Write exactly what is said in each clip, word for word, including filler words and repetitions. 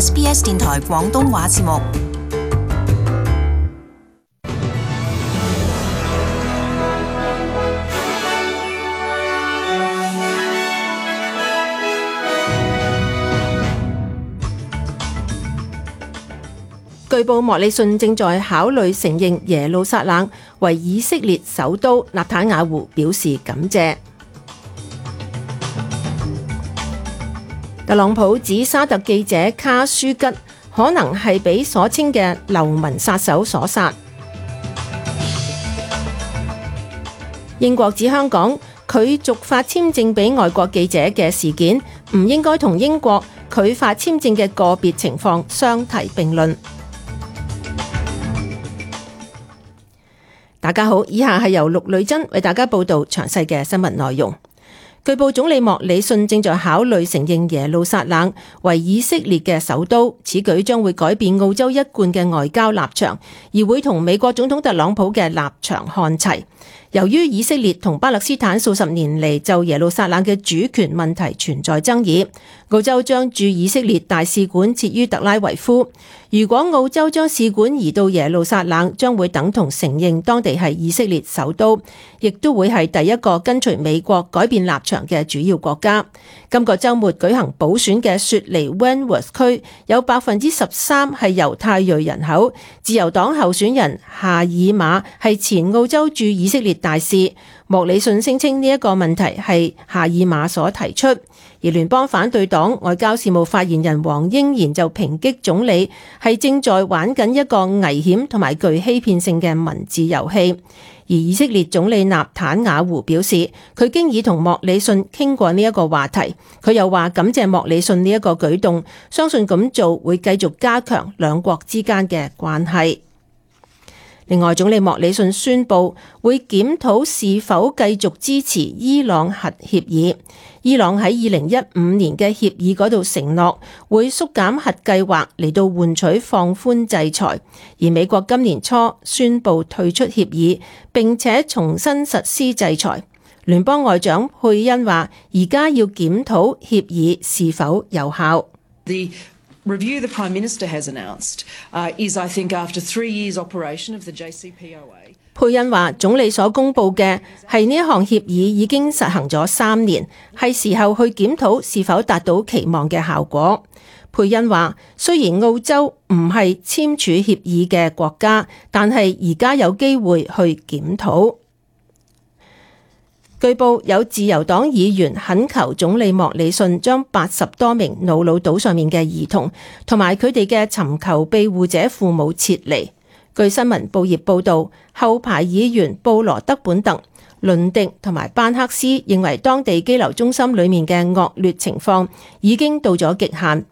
S B S 電台廣東話節目。據報莫里遜正在考慮承認耶路撒冷為以色列首都，納坦雅胡表示感謝。特朗普指沙特記者卡舒吉可能係被所稱嘅流民殺手所殺。英國指香港拒續發簽證俾外國記者嘅事件，唔應該同英國拒發簽證嘅個別情況相提並論。大家好，以下係由陸女珍為大家報道詳細嘅新聞內容。據報總理莫里遜正在考慮承認耶路撒冷為以色列嘅首都，此舉將會改變澳洲一貫嘅外交立場，而會同美國總統特朗普嘅立場看齊。由於以色列同巴勒斯坦數十年嚟就耶路撒冷嘅主權問題存在爭議，澳洲將駐以色列大使館設於特拉維夫。如果澳洲將使館移到耶路撒冷，將會等同承認當地係以色列首都，亦都會係第一個跟隨美國改變立場嘅主要國家。今個週末舉行補選嘅雪梨 Wentworth 區有百分之十三係猶太裔人口，自由黨候選人夏爾馬係前澳洲駐以色列大使。莫里遜聲稱呢一個問題係夏爾馬所提出，而聯邦反對黨外交事務發言人黃英賢就抨擊總理係正在玩緊一個危險同埋具欺騙性嘅文字遊戲。而以色列總理納坦雅胡表示，佢經已同莫里遜傾過呢一個話題。佢又話感謝莫里遜呢一個舉動，相信咁做會繼續加強兩國之間嘅關係。另外，總理莫里遜宣布會檢討是否繼續支持伊朗核協議。伊朗喺二零一五年嘅協議嗰度承諾會縮減核計劃嚟到換取放寬制裁，而美國今年初宣布退出協議，並且重新實施制裁。聯邦外長佩恩話：而家要檢討協議是否有效。The review the Prime Minister has announced uh, is, I think, after three years operation of the J C P O A。佩恩話：總理所公布嘅係呢一項協議已經實行咗三年，係時候去檢討是否達到期望嘅效果。佩恩話：雖然澳洲唔係簽署協議嘅國家，但係而家有機會去檢討。據報有自由黨議員懇求總理莫里遜將八十多名瑙魯島上面嘅兒童同埋佢哋嘅尋求庇護者父母撤離。據新聞報業報導，後排議員布羅德本特、倫迪同埋班克斯認為當地羈留中心裡面嘅惡劣情況已經到咗極限。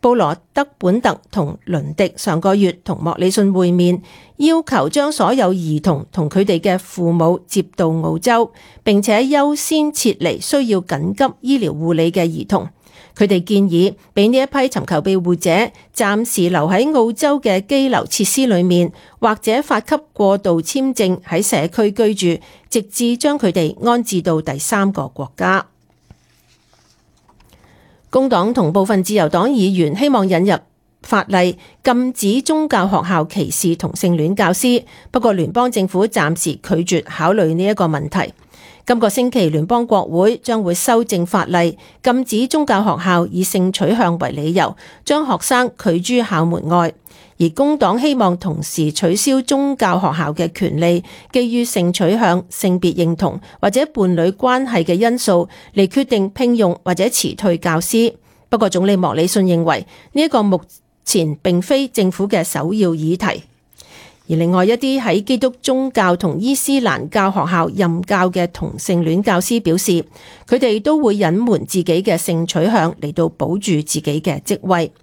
布羅德本特同倫迪上個月同莫里遜會面，要求將所有兒童同佢哋嘅父母接到澳洲，並且優先撤離需要緊急醫療護理嘅兒童。佢哋建議俾呢一批尋求庇護者暫時留喺澳洲嘅羈留設施裏面，或者發給過渡簽證喺社區居住，直至將佢哋安置到第三個國家。工黨同部分自由黨議員希望引入法例禁止宗教學校歧視同性戀教師，不過聯邦政府暫時拒絕考慮呢一個問題。今個星期聯邦國會將會修正法例，禁止宗教學校以性取向為理由將學生拒諸校門外，而工黨希望同時取消宗教學校嘅權利，基於性取向、性別認同或者伴侶關係嘅因素嚟決定聘用或者辭退教師。不過總理莫里遜認為呢一個目前並非政府嘅首要議題。而另外一啲喺基督宗教同伊斯蘭教學校任教嘅同性戀教師表示，佢哋都會隱瞞自己嘅性取向嚟到保住自己嘅職位。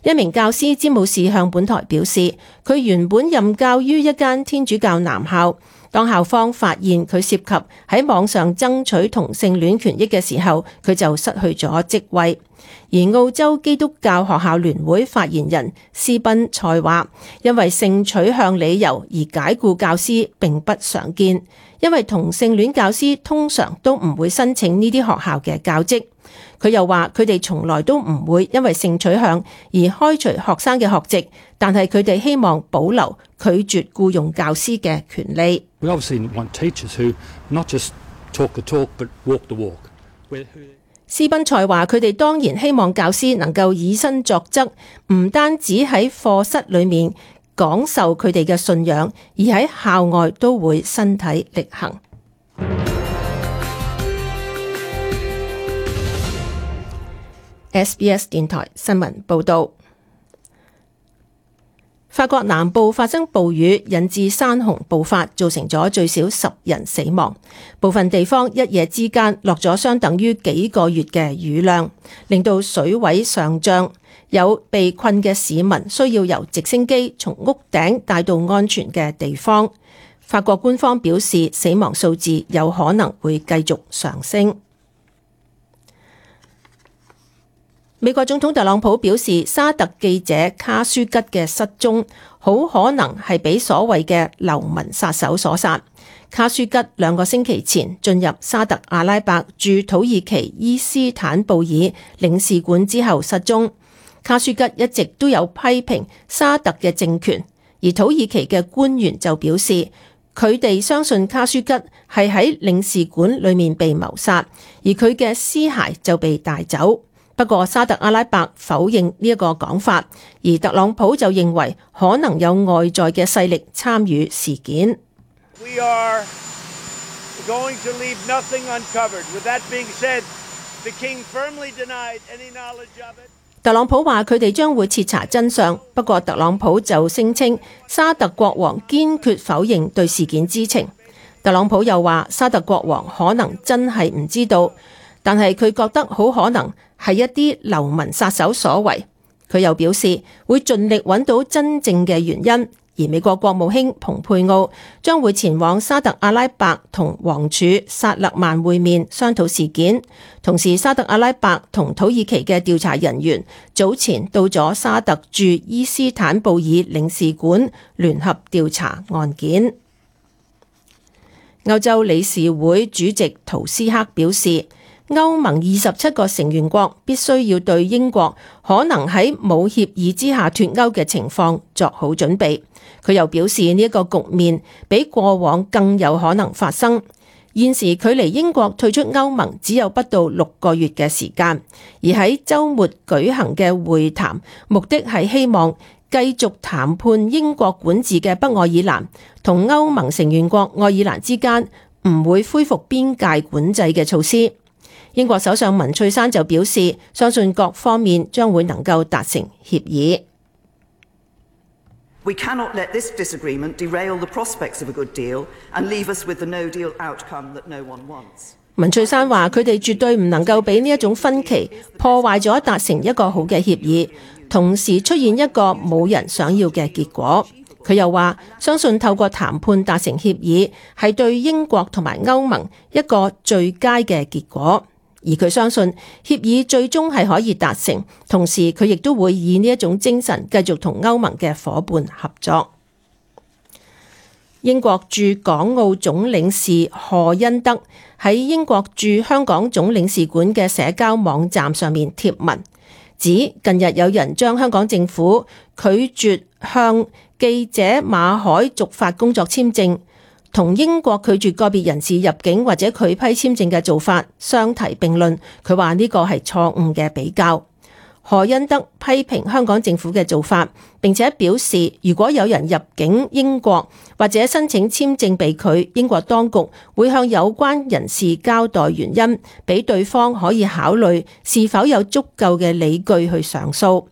一名教師詹姆士向本台表示，佢原本任教於一間天主教男校，當校方發現佢涉及喺網上爭取同性戀權益嘅時候，佢就失去咗職位。而澳洲基督教學校聯會發言人斯賓塞話，因為性取向理由而解僱教師並不常見，因為同性戀教師通常都唔會申請呢啲學校嘅教職。佢又話佢哋從來都唔會因為性取向而開除學生嘅學籍，但係佢哋希望保留拒絕僱用教師嘅權利。We obviously want teachers who not just talk the talk but walk the walk. 斯賓塞話佢哋當然希望教師能夠以身作則，唔單止喺課室裏面講授佢哋嘅信仰，而喺校外都會身體力行。S B S 電台新聞報道，法國南部發生暴雨，引致山洪暴發，造成咗最少十人死亡。部分地方一夜之間落咗相等於幾個月嘅雨量，令到水位上漲。有被困嘅市民需要由直升機從屋頂帶到安全嘅地方。法國官方表示，死亡數字有可能會繼續上升。美國總統特朗普表示，沙特記者卡舒吉嘅失蹤好可能係俾所謂嘅流民殺手所殺。卡舒吉兩個星期前進入沙特阿拉伯駐土耳其伊斯坦布爾領事館之後失蹤。卡舒吉一直都有批評沙特嘅政權，而土耳其嘅官員就表示，佢哋相信卡舒吉係喺領事館裏面被謀殺，而佢嘅屍骸就被帶走。不過沙特阿拉伯否認呢一個講法，而特朗普就認為可能有外在嘅勢力參與事件。We are going to leave nothing uncovered. With that being said, the king firmly denied any knowledge of it. 特朗普話佢哋將會徹查真相，不過特朗普就聲稱沙特國王堅決否認對事件知情。特朗普又話沙特國王可能真係唔知道，但係佢覺得好可能係一啲流民殺手所為。佢又表示會盡力揾到真正嘅原因，而美國國務卿蓬佩奧將會前往沙特阿拉伯同王儲薩勒曼會面商討事件。同時沙特阿拉伯同土耳其嘅調查人員早前到咗沙特駐伊斯坦布爾領事館聯合調查案件。歐洲理事會主席圖斯克表示，歐盟二十七個成員國必須要對英國可能喺冇協議之下脫歐嘅情況作好準備。佢又表示呢一個局面比過往更有可能發生。現時距離英國退出歐盟只有不到六個月嘅時間，而喺週末舉行嘅會談目的係希望繼續談判英國管治嘅北愛爾蘭同歐盟成員國愛爾蘭之間唔會恢復邊界管制嘅措施。英國首相文翠珊就表示，相信各方面將會能夠達成協議。We cannot let this disagreement derail the prospects of a good deal and leave us with the no deal outcome that no one wants. 文翠珊話：佢哋絕對唔能夠俾呢一種分歧破壞咗達成一個好嘅協議，同時出現一個冇人想要嘅結果。佢又話：相信透過談判達成協議係對英國同埋歐盟一個最佳嘅結果。而佢相信協議最終係可以達成，同時佢亦都會以呢一種精神繼續同歐盟嘅夥伴合作。英國駐港澳總領事賀恩德喺英國駐香港總領事館嘅社交網站上面貼文，指近日有人將香港政府拒絕向記者馬海續發工作簽證同英國拒絕個別人士入境或者拒批簽證嘅做法相提並論，佢話呢個係錯誤嘅比較。賀恩德批評香港政府嘅做法，並且表示如果有人入境英國或者申請簽證被拒，英國當局會向有關人士交代原因，俾對方可以考慮是否有足夠嘅理據去上訴。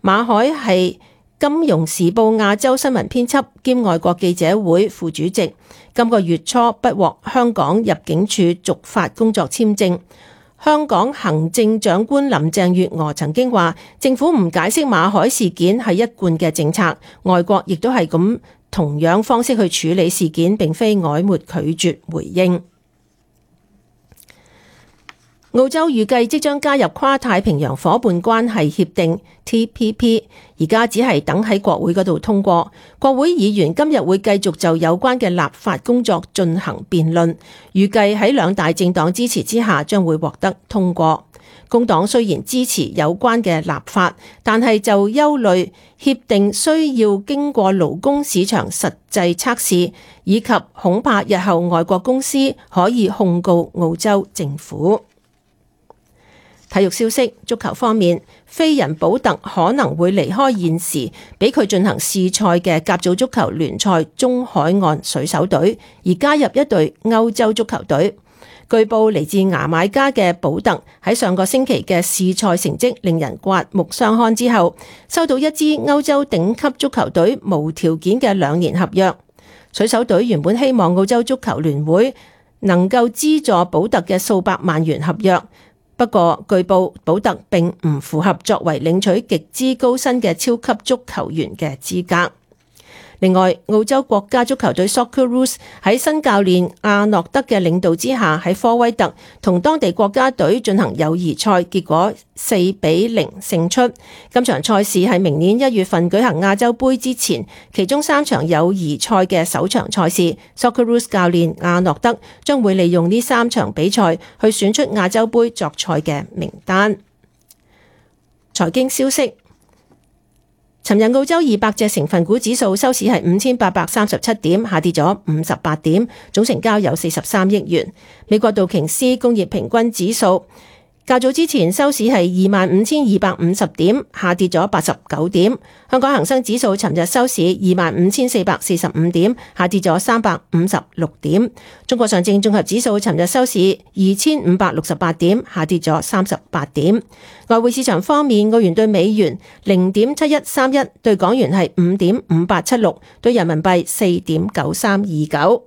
馬海係金融時報亞洲新聞編輯兼外國記者會副主席，今個月初不獲香港入境處續發工作簽證。香港行政長官林鄭月娥曾經話，政府唔解釋馬海事件係一貫嘅政策，外國亦都係咁同樣方式去處理事件，並非曖昧拒絕回應。澳洲預計即將加入跨太平洋夥伴關係協定 T P P， 而家只係等喺國會嗰度通過。國會議員今日會繼續就有關嘅立法工作進行辯論，預計喺兩大政黨支持之下將會獲得通過。工黨雖然支持有關嘅立法，但係就憂慮協定需要經過勞工市場實際測試，以及恐怕日後外國公司可以控告澳洲政府。體育消息，足球方面，飛人保特可能會離開現時俾佢進行試賽嘅甲組足球聯賽中海岸水手隊，而加入一隊歐洲足球隊。據報嚟自牙買加嘅保特喺上個星期嘅試賽成績令人刮目相看之後，收到一支歐洲頂級足球隊無條件嘅兩年合約。水手隊原本希望澳洲足球聯會能夠資助保特嘅數百萬元合約。不過，據報保特並唔符合作為領取極之高薪嘅超級足球員嘅資格。另外，澳洲國家足球隊 Socceroos 喺新教練阿諾德嘅領導之下，喺科威特同當地國家隊進行友誼賽，結果四比零勝出。今場賽事係明年一月份舉行亞洲盃之前，其中三場友誼賽嘅首場賽事。Socceroos 教練阿諾德將會利用呢三場比賽去選出亞洲盃作賽嘅名單。財經消息。尋日澳洲二百隻成分股指數收市係五千八百三十七點，下跌咗五十八點，總成交有四十三億元。美國道瓊斯工業平均指數較早之前收市係二萬五千二百五十點，下跌咗八十九點。香港恒生指數尋日收市二萬五千四百四十五點，下跌咗三百五十六點。中國上證綜合指數尋日收市二千五百六十八點，下跌咗三十八點。外匯市場方面，澳元對美元零點七一三一，對港元係五點五八七六，對人民幣四點九三二九。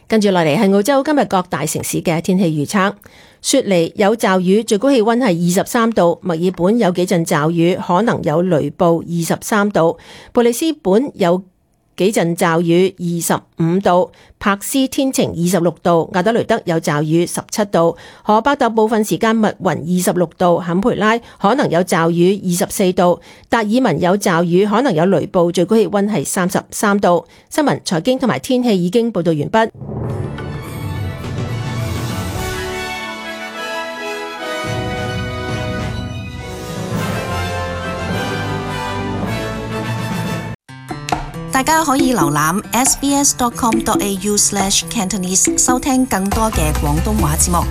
跟住落嚟係澳洲今日各大城市嘅天氣預測。雪梨有驟雨，最高氣溫係二十三度；墨爾本有幾陣驟雨，可能有雷暴，二十三度；布里斯本有幾陣驟雨，二十五度；柏斯天晴，二十六度；亞德雷德有驟雨，十七度；荷伯特部分時間密雲，二十六度；坎培拉可能有驟雨，二十四度；達爾文有驟雨，可能有雷暴，最高氣溫係三十三度。新聞、財經同埋天氣已經報道完畢。大家可以瀏覽 s b s dot com dot a u slash cantonese 收聽更多嘅廣東話節目。